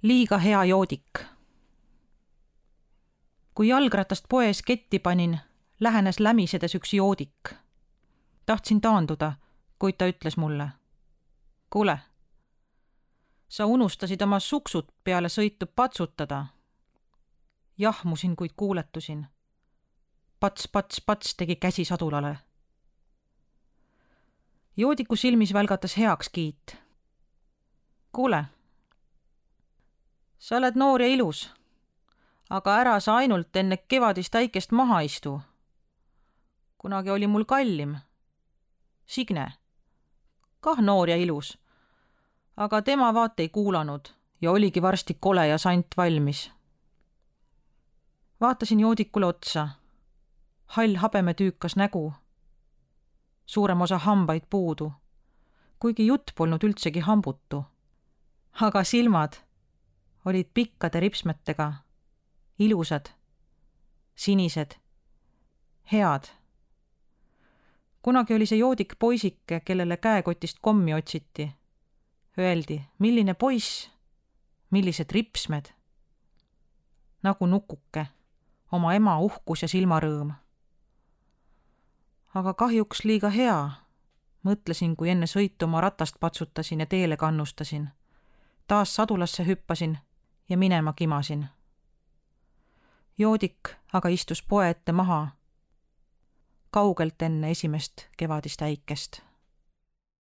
Liiga hea joodik. Kui jalgratast poes ketti panin, lähenes lämisedes üks joodik. Tahtsin taanduda, kuid ta ütles mulle. Kuule, sa unustasid oma suksud peale sõitu patsutada. Jahmusin, kuid kuuletusin. Pats, pats, pats tegi käsi sadulale. Joodiku silmis välgatas heakskiit. Kuule, sa oled noor ja ilus, aga ära sa ainult enne kevadist äikest maha istu. Kunagi oli mul kallim. Signe, kah noor ja ilus, aga tema vaat ei kuulanud ja oligi varsti kole ja sant valmis. Vaatasin joodikule otsa. Hall habemetüükas nägu. Suurem osa hambaid puudu, kuigi jutt polnud üldsegi hambutu. Aga silmad olid pikkade ripsmetega, ilusad, sinised, head. Kunagi oli see joodik poisike, kellele käekotist kommi otsiti. Öeldi, milline poiss, millised ripsmed. Nagu nukuke, oma ema uhkus ja silmarõõm. Aga kahjuks liiga hea, mõtlesin, kui enne sõitu oma ratast patsutasin ja teele kannustasin. Taas sadulasse hüppasin ja minema kimasin. Joodik aga istus poe ette maha, kaugelt enne esimest kevadist äikest.